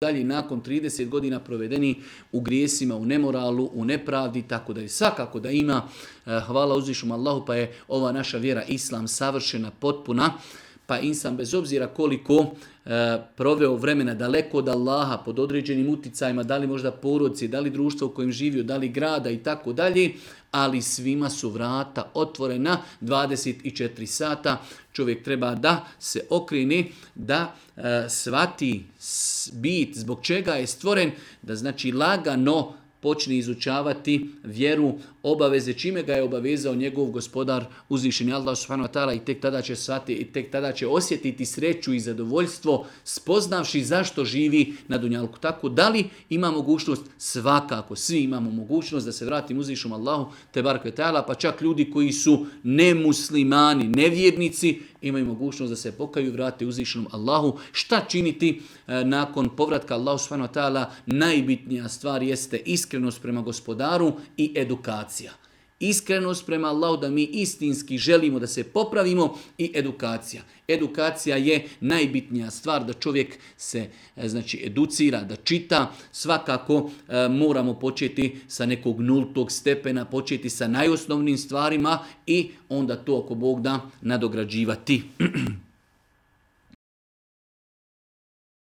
dalje, nakon 30 godina provedeni u grijesima, u nemoralu, u nepravdi, tako da je svakako da ima. Hvala uzvišnom Allahu, pa je ova naša vjera Islam savršena, potpuna, pa insan bez obzira koliko proveo vremena daleko od Allaha, pod određenim uticajima, da li možda porodice, da li društvo u kojem živio, da li grada i tako dalje, ali svima su vrata otvorena 24 sata. Čovjek treba da se okrene, da shvati bit zbog čega je stvoren, da znači lagano počne izučavati vjeru, obaveze, čime ga je obavezao njegov gospodar uzvišeni Allah subhanahu wa ta'ala, i tek tada će shvatiti, i tek tada će osjetiti sreću i zadovoljstvo spoznavši zašto živi na dunjalku. Tako da li ima mogućnost? Svakako, svi imamo mogućnost da se vratimo uzvišenom Allahu te barek ve ta'ala, pa čak ljudi koji su nemuslimani, nevjernici, imaju mogućnost da se pokaju i vrate uzvišenom Allahu. Šta činiti nakon povratka Allahu subhanahu wa ta'ala? Najbitnija stvar jeste iskrenost prema gospodaru i edukacija. Iskrenost prema Allahu, da mi istinski želimo da se popravimo, i edukacija. Edukacija je najbitnija stvar, da čovjek se znači educira, da čita. Svakako moramo početi sa nekog nultog stepena, početi sa najosnovnim stvarima i onda to ako Bog da nadograđivati.